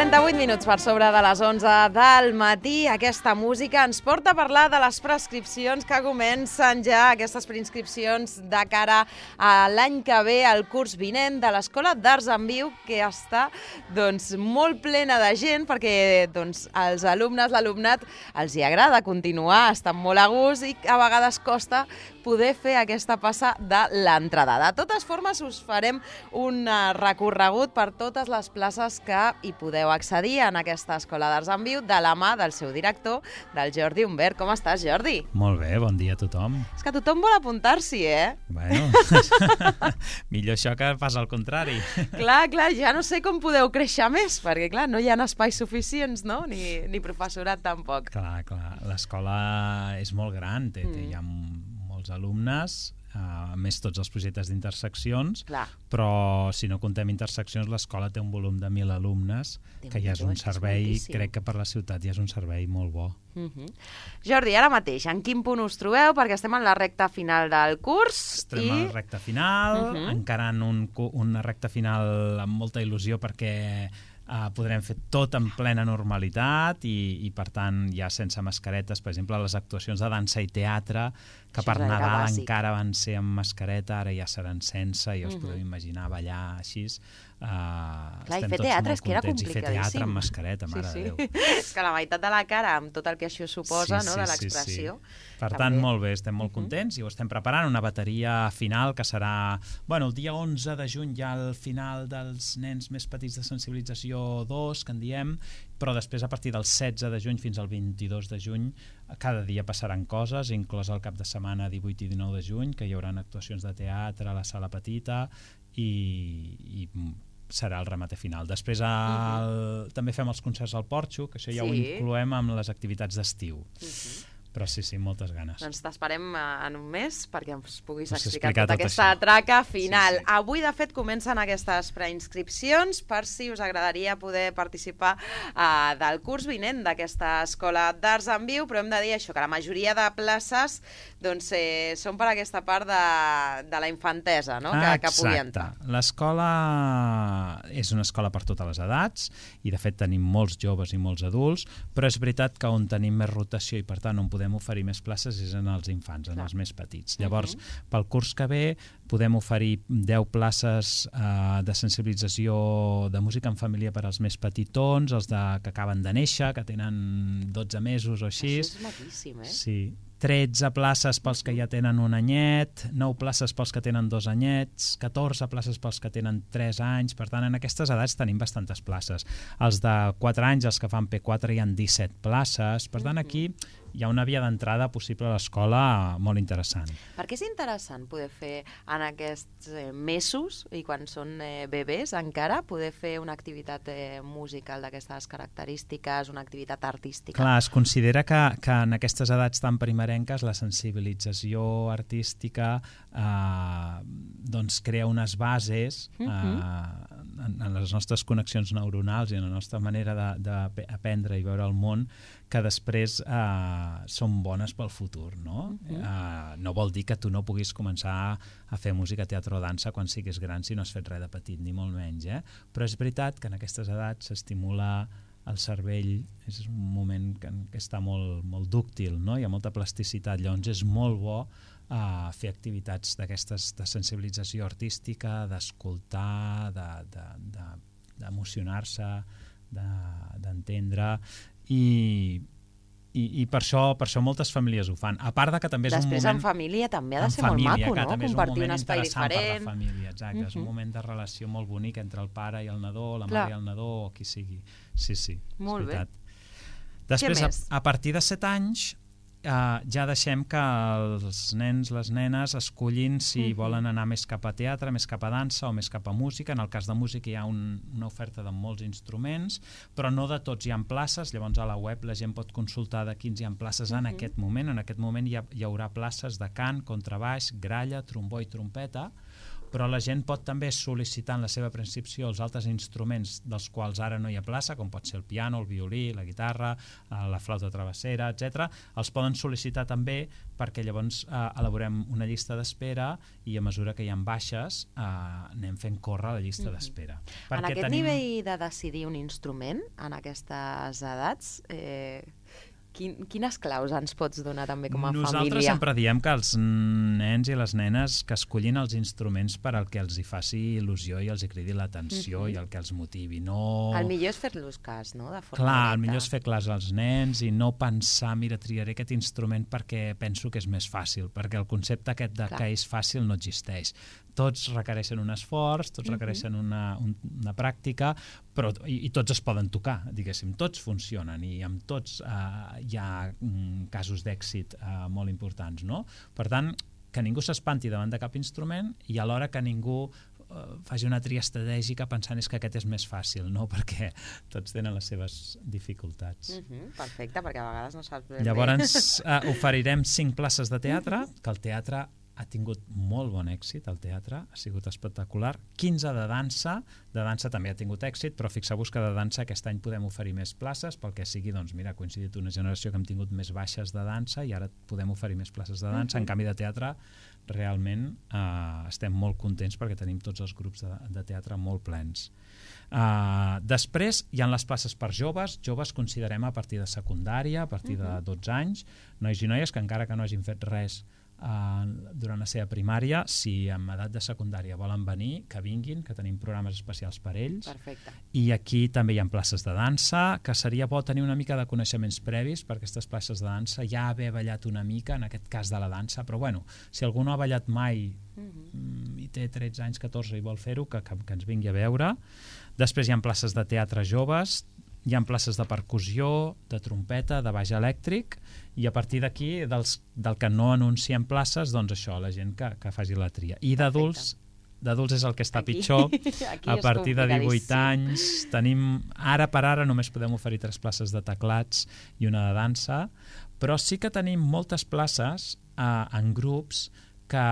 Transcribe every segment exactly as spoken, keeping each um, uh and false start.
trenta-vuit minuts per sobre de les onze del matí. Aquesta música ens porta a parlar de les prescripcions que comencen ja, aquestes preinscripcions de cara a l'any que ve, al curs vinent de l'Escola d'Arts en Viu, que està doncs, molt plena de gent perquè doncs, als alumnes, l'alumnat, els hi agrada continuar, estan molt a gust i a vegades costa poder fer aquesta passa de l'entrada. De totes formes, us farem un recorregut per totes les places que hi podeu accedir en aquesta Escola d'Arts en Viu de la mà del seu director, del Jordi Humbert. Com estàs, Jordi? Molt bé, bon dia a tothom. És que tothom vol apuntar-s'hi, eh? Bueno, millor això que pas al contrari. Clar, clar, ja no sé com podeu créixer més, perquè clar, no hi ha espais suficients, no? Ni, ni professorat tampoc. Clar, clar, l'escola és molt gran, té, té, hi ha molts alumnes, a més tots els projectes d'interseccions, però si no contem interseccions, l'escola té un volum de mil alumnes, que ja és un servei, crec que per la ciutat ja és un servei molt bo. Uh-huh. Jordi, ara mateix, en quin punt us trobeu? Perquè estem en la recta final del curs. Estem i... en la recta final, uh-huh. encarant un, una recta final amb molta il·lusió perquè Uh, podrem fer tot en plena normalitat i, i per tant ja sense mascaretes, per exemple les actuacions de dansa i teatre que Això per Nadal bàsic. encara van ser amb mascareta, ara ja seran sense i us uh-huh. podeu imaginar ballar així. Uh, Clar, i fer teatre és que era complicadíssim. I fer teatre amb mascareta, mare sí, sí. de Déu. És que la meitat de la cara amb tot el que això suposa, sí, no, sí, de l'expressió. Sí, sí. Per tant, molt bé, estem molt contents i ho estem preparant, una bateria final que serà, bueno, el dia onze de juny ja al final dels nens més petits de sensibilització dos, que en diem, però després a partir del setze de juny fins al vint-i-dos de juny cada dia passaran coses, inclòs el cap de setmana divuit i dinou de juny, que hi haurà actuacions de teatre a la sala petita i, i serà el remate final. Després el, uh-huh. també fem els concerts al Porxo, que això ja sí. ho incloem amb les activitats d'estiu. Uh-huh. Però sí, sí, moltes ganes. Doncs t'esperem en un mes perquè ens puguis Us explicar, explicar tota tot aquesta això. traca final. Sí, sí. Avui, de fet, comencen aquestes preinscripcions per si us agradaria poder participar uh, del curs vinent d'aquesta Escola d'Arts en Viu, però hem de dir això, que la majoria de places doncs, eh, són per aquesta part de, de la infantesa, no? que, que pugui entrar. L'escola és una escola per totes les edats i, de fet, tenim molts joves i molts adults, però és veritat que on tenim més rotació i, per tant, on podem oferir més places és en els infants, en Clar. els més petits. Llavors, uh-huh. pel curs que ve podem oferir deu places eh, de sensibilització de música en família per als més petitons, els de, que acaben de néixer, que tenen dotze mesos o així. Això és maquíssim, eh? Sí. tretze places pels que ja tenen un anyet, nou places pels que tenen dos anyets, catorze places pels que tenen tres anys, per tant, en aquestes edats tenim bastantes places. Els de quatre anys, els que fan P quatre, hi ha disset places, per tant, aquí hi ha una via d'entrada possible a l'escola molt interessant. Per què és interessant poder fer en aquests eh, mesos, i quan són eh, bebès encara, poder fer una activitat eh, musical d'aquestes característiques, una activitat artística? Clar, es considera que, que en aquestes edats tan primerenques la sensibilització artística eh, doncs crea unes bases eh, en, en les nostres connexions neuronals i en la nostra manera d'aprendre i veure el món que després eh, són bones pel futur, no? Uh-huh. eh, no vol dir que tu no puguis començar a fer música, teatre o dansa quan siguis gran si no has fet res de petit, ni molt menys, eh? Però és veritat que en aquestes edats s'estimula el cervell, és un moment que, que està molt, molt dúctil, no? Hi ha molta plasticitat, llavors és molt bo uh, fer activitats d'aquestes de sensibilització artística, d'escoltar, de, de, de, d'emocionar-se, de, d'entendre, i, i, i per, això, per això moltes famílies ho fan. A part de que també és Després, un moment... en família també ha de ser família, molt maco, no? Compartir un espai diferent. Per la família, exacte. Uh-huh. És un moment de relació molt bonic entre el pare i el nadó, la Clar. mare i el nadó, o qui sigui. Sí, sí, molt és veritat. Bé. Després, a, a partir de set anys, Uh, ja deixem que els nens, les nenes escollin si uh-huh. volen anar més cap a teatre, més cap a dansa o més cap a música. En el cas de música hi ha un, una oferta de molts instruments, però no de tots hi ha places. Llavors a la web la gent pot consultar de quins hi ha places uh-huh. en aquest moment. En aquest moment hi, ha, hi haurà places de cant, contrabaix, gralla, trombó i trompeta, però la gent pot també sol·licitar en la seva preinscripció els altres instruments dels quals ara no hi ha plaça, com pot ser el piano, el violí, la guitarra, la flauta travessera, etcètera. Els poden sol·licitar també perquè llavors eh, elaborem una llista d'espera i a mesura que hi ha baixes eh, anem fent córrer la llista d'espera. Mm-hmm. En aquest tenim... nivell de decidir un instrument, en aquestes edats, eh, quin, quines claus ens pots donar també com a Nosaltres família? Nosaltres sempre diem que els nens i les nenes que escollin els instruments per al que els hi faci il·lusió i els hi cridi l'atenció mm-hmm. i el que els motivi. No... El millor és fer-los cas, no? De forma Clar, directa. El millor és fer cas als nens i no pensar, mira, triaré aquest instrument perquè penso que és més fàcil, perquè el concepte aquest de Clar. Que és fàcil no existeix. Tots requereixen un esforç, tots uh-huh. requereixen una, un, una pràctica, però, i, i tots es poden tocar, diguéssim, tots funcionen i amb tots eh, hi ha mm, casos d'èxit eh, molt importants, no? Per tant, que ningú s'espanti davant de cap instrument i alhora que ningú eh, faci una tria estratègica pensant és que aquest és més fàcil, no? Perquè tots tenen les seves dificultats. Uh-huh. Perfecte, perquè a vegades no saps ben Llavors eh, oferirem cinc places de teatre, uh-huh. que el teatre ha tingut molt bon èxit, el teatre ha sigut espectacular, quinze de dansa, de dansa també ha tingut èxit, però fixeu-vos que de dansa aquest any podem oferir més places, pel que sigui, doncs mira, ha coincidit una generació que hem tingut més baixes de dansa i ara podem oferir més places de dansa, uh-huh. en canvi de teatre realment eh, estem molt contents perquè tenim tots els grups de, de teatre molt plens. Uh, després hi ha les places per joves, joves considerem a partir de secundària, a partir uh-huh. de dotze anys, nois i noies que encara que no hagin fet res Uh, durant la seva primària, si en edat de secundària volen venir, que vinguin, que tenim programes especials per ells. Perfecte. I aquí també hi ha places de dansa, que seria bo tenir una mica de coneixements previs per aquestes places de dansa, ja haver ballat una mica, en aquest cas de la dansa, però bueno, si algú no ha ballat mai uh-huh. i té tretze anys, catorze i vol fer-ho, que, que, que ens vingui a veure. Després hi ha places de teatre joves, hi ha places de percussió, de trompeta, de baix elèctric, i a partir d'aquí, del que no anunciem places, doncs això, la gent que, que faci la tria. I d'adults, d'adults és el que està aquí, pitjor, aquí a partir de divuit anys, tenim, ara per ara només podem oferir tres places de teclats i una de dansa, però sí que tenim moltes places eh, en grups que...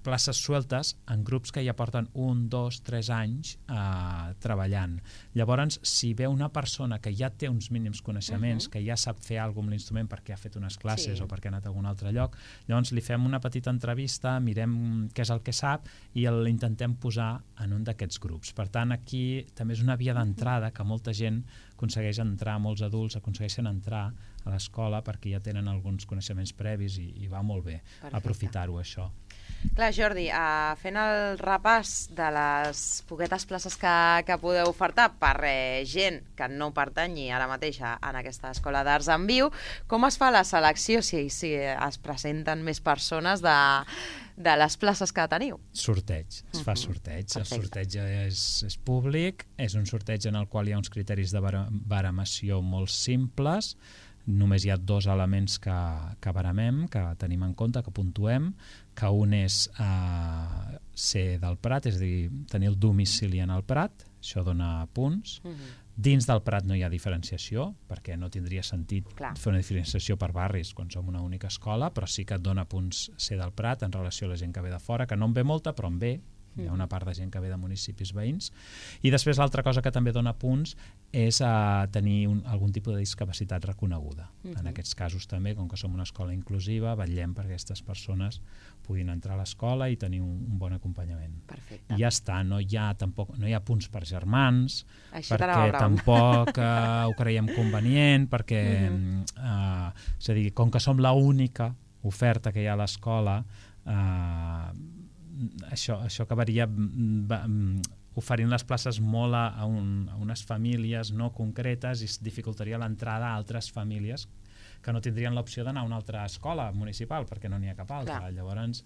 places sueltes en grups que ja porten un, dos, tres anys eh, treballant. Llavors, si ve una persona que ja té uns mínims coneixements, uh-huh. que ja sap fer alguna cosa amb l'instrument perquè ha fet unes classes sí. o perquè ha anat a algun altre lloc, llavors li fem una petita entrevista, mirem què és el que sap i l'intentem posar en un d'aquests grups. Per tant, aquí també és una via d'entrada que molta gent aconsegueix entrar, molts adults aconsegueixen entrar a l'escola perquè ja tenen alguns coneixements previs i, i va molt bé Perfecte. Aprofitar-ho, això. Clar, Jordi, uh, fent el repàs de les poquetes places que, que podeu ofertar per eh, gent que no pertanyi ara mateix en aquesta Escola d'Arts en Viu, com es fa la selecció si, si es presenten més persones de, de les places que teniu? Sorteig, es fa sorteig. Uh-huh. El sorteig és, és públic, és un sorteig en el qual hi ha uns criteris de baremació molt simples, només hi ha dos elements que, que baremem, que tenim en compte, que puntuem, que un és eh, ser del Prat, és a dir, tenir el domicili en el Prat, això dona punts. Uh-huh. Dins del Prat no hi ha diferenciació, perquè no tindria sentit Clar. Fer una diferenciació per barris quan som una única escola, però sí que et dona punts ser del Prat en relació a la gent que ve de fora, que no en ve molta, però en ve. Hi ha una part de gent que ve de municipis veïns. I després l'altra cosa que també dona punts és uh, tenir un, algun tipus de discapacitat reconeguda. Uh-huh. En aquests casos també, com que som una escola inclusiva, vetllem perquè aquestes persones puguin entrar a l'escola i tenir un, un bon acompanyament. Perfecte. I ja està, no hi ha, tampoc, no hi ha punts per germans, Així perquè tampoc uh, ho creiem convenient, perquè uh-huh. uh, és a dir, com que som l'única oferta que hi ha a l'escola, uh, Això, això acabaria oferint les places molt a, a, un, a unes famílies no concretes i dificultaria l'entrada a altres famílies que no tindrien l'opció d'anar a una altra escola municipal perquè no n'hi ha cap altra. Clar. Llavors,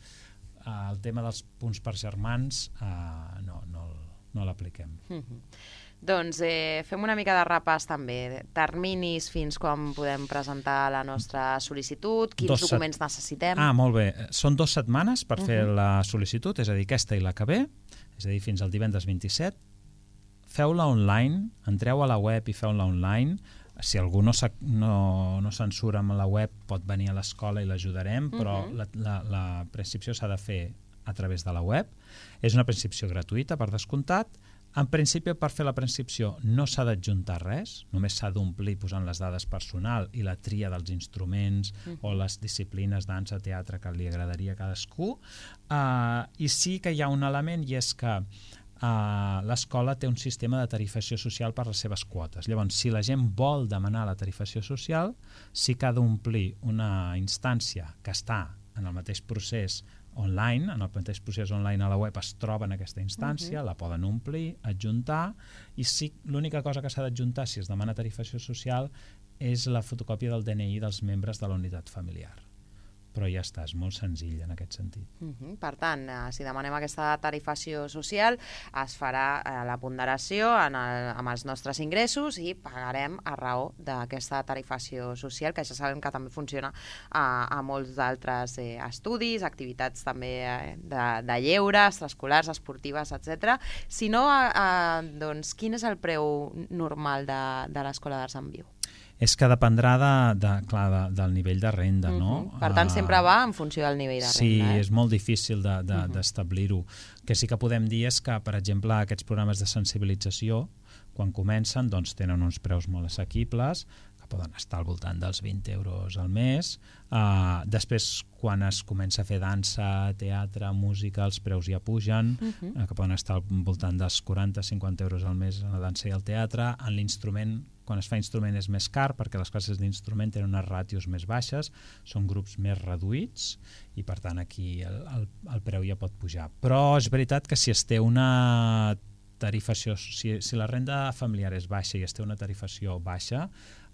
eh, el tema dels punts per germans eh, no, no, no l'apliquem. Mm-hmm. Doncs eh, fem una mica de repàs també. Terminis fins quan podem presentar la nostra sol·licitud, quins dos documents set... necessitem. Ah, molt bé. Són dues setmanes per uh-huh. fer la sol·licitud, és a dir, aquesta i la que ve, és a dir, fins al divendres vint-i-set. Feu-la online, entreu a la web i feu-la online. Si algú no, no, no se'n surt amb la web pot venir a l'escola i l'ajudarem, però uh-huh. la, la, la prescripció s'ha de fer a través de la web. És una preinscripció gratuïta, per descomptat. En principi, per fer la preinscripció no s'ha d'adjuntar res, només s'ha d'omplir posant les dades personal i la tria dels instruments uh-huh. o les disciplines, dansa, teatre, que li agradaria a cadascú. Uh, I sí que hi ha un element, i és que uh, l'escola té un sistema de tarifació social per les seves quotes. Llavors, si la gent vol demanar la tarifació social, sí que ha d'omplir una instància que està en el mateix procés online, en el mateix procés online a la web es troba en aquesta instància, uh-huh. la poden omplir, adjuntar, i sí, l'única cosa que s'ha d'adjuntar si es demana tarifació social és la fotocòpia del D N I dels membres de la unitat familiar. Però ja està, és molt senzill en aquest sentit. Uh-huh. Per tant, eh, si demanem aquesta tarifació social, es farà eh, la ponderació en el, amb els nostres ingressos i pagarem a raó d'aquesta tarifació social, que ja sabem que també funciona a, a molts d'altres eh, estudis, activitats també eh, de, de lleure, extraescolars, esportives, etcètera. Si no, eh, doncs, quin és el preu normal de, de l'Escola d'Arts en Viu? És que dependrà de, de, clar, de, del nivell de renda, uh-huh. no? Per tant, sempre va en funció del nivell de renda. Sí, eh? és molt difícil de, de, uh-huh. d'establir-ho. Que sí que podem dir és que, per exemple, aquests programes de sensibilització, quan comencen, doncs tenen uns preus molt assequibles, que poden estar al voltant dels vint euros al mes. Uh, després, quan es comença a fer dansa, teatre, música, els preus ja pugen, uh-huh. uh, que poden estar al voltant dels quaranta a cinquanta euros al mes en la dansa i el teatre. En l'instrument, quan es fa instrument és més car perquè les classes d'instrument tenen unes ràtios més baixes, són grups més reduïts i per tant aquí el, el, el preu ja pot pujar. Però és veritat que si es té una tarifació, si, si la renda familiar és baixa i es té una tarifació baixa,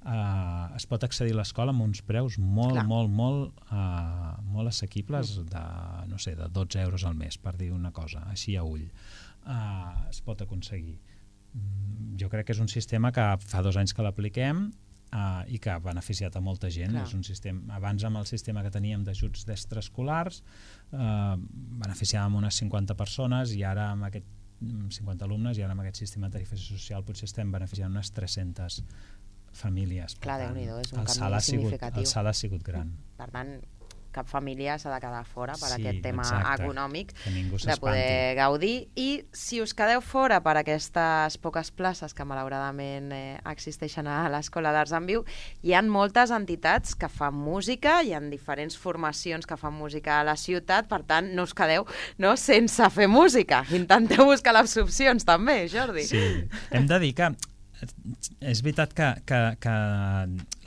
eh, es pot accedir a l'escola amb uns preus molt, Clar. molt, molt, eh, molt assequibles de, no sé, de dotze euros al mes, per dir una cosa, així a ull. Eh, es pot aconseguir. Jo crec que és un sistema que fa dos anys que l'apliquem uh, i que ha beneficiat a molta gent. És un sistema, abans amb el sistema que teníem d'ajuts d'extraescolars uh, beneficiàvem unes cinquanta persones i ara amb aquest cinquanta alumnes i ara amb aquest sistema de tarifació social potser estem beneficiant unes tres-centes famílies. Clar, Déu-n'hi-do, és un el canvi significatiu. El salt ha sigut gran. Per tant, cap família s'ha de quedar fora per sí, aquest tema exacte, econòmic de poder gaudir. I si us quedeu fora per aquestes poques places que malauradament eh, existeixen a l'Escola d'Arts en Viu, hi ha moltes entitats que fan música, hi ha diferents formacions que fan música a la ciutat, per tant no us quedeu no, sense fer música. Intenteu buscar les opcions també, Jordi. Sí, hem de dir que és veritat que, que, que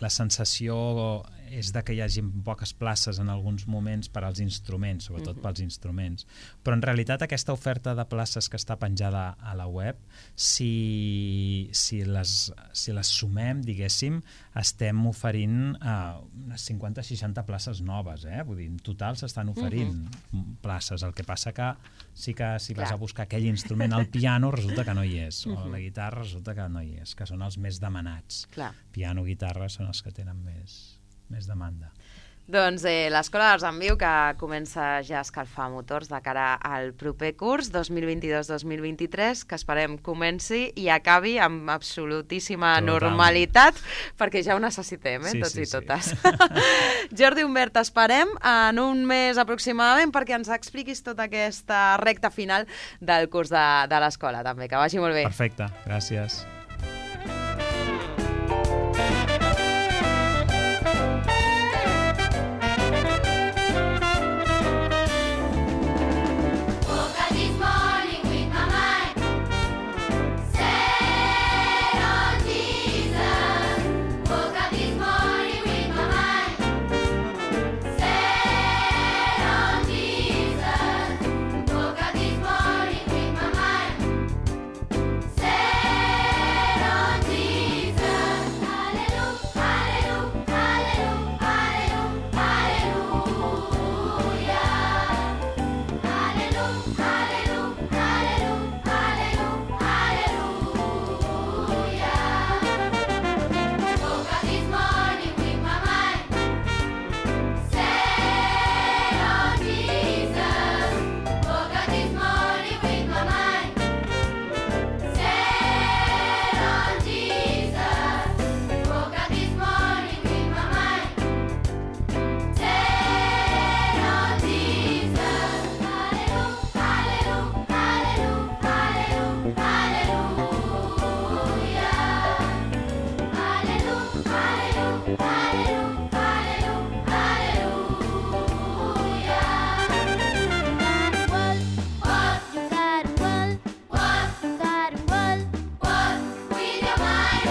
la sensació és de que hi hagi poques places en alguns moments per als instruments, sobretot uh-huh. pels instruments. Però en realitat aquesta oferta de places que està penjada a la web, si, si, les, si les sumem, diguéssim, estem oferint uh, unes cinquanta a seixanta places noves, eh? Vull dir, en total s'estan oferint uh-huh. places. El que passa que sí que si vas Clar. a buscar aquell instrument, el piano resulta que no hi és, uh-huh. o la guitarra resulta que no hi és, que són els més demanats. Clar. Piano, guitarra són els que tenen més... més demanda. Doncs eh, l'Escola d'Arts en Viu, que comença ja a escalfar motors de cara al proper curs dos mil vint-i-dos dos mil vint-i-tres, que esperem comenci i acabi amb absolutíssima Total. normalitat, perquè ja ho necessitem, eh, sí, tots sí, i totes. Sí. Jordi Humbert, t'esperem en un mes aproximadament perquè ens expliquis tota aquesta recta final del curs de, de l'escola, també. Que vagi molt bé. Perfecte, gràcies.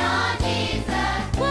on Jesus.